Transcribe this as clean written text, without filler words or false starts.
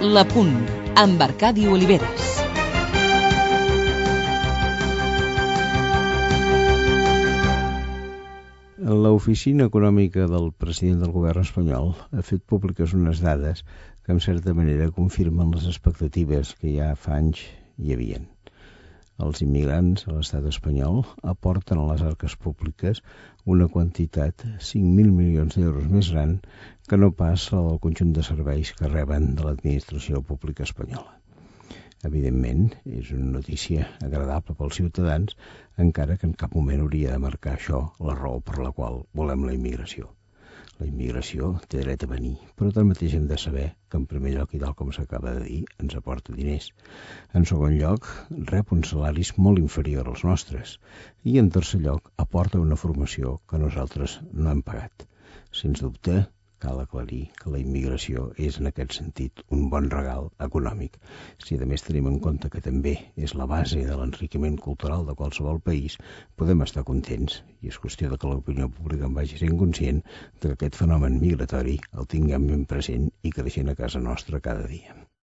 La Punt, amb Arcadi Oliveres. L'Oficina Econòmica del president del govern espanyol ha fet públiques unes dades que en certa manera confirmen les expectatives que ja fa anys hi havien. Els immigrants a l'estat espanyol aporten a les arques públiques una quantitat 5.000 milions d'euros més gran que no pas la del conjunt de serveis que reben de l'administració pública espanyola. Evidentment, és una notícia agradable pels ciutadans, encara que en cap moment hauria de marcar això la raó per la qual volem la immigració. La immigració té dret a venir, però tanmateix hem de saber que, en primer lloc, i tal com s'acaba de dir, ens aporta diners. En segon lloc, rep uns salaris molt inferiors als nostres. I, en tercer lloc, aporta una formació que nosaltres no hem pagat. Sens dubte, cal aclarir que la immigració és, en aquest sentit, un bon regal econòmic. Si a més tenim en compte que també és la base de l'enriquiment cultural de qualsevol país, podem estar contents, i és qüestió de que l'opinió pública en vagi sent conscient de que aquest fenomen migratori el tinguem ben present i creixent a casa nostra cada dia.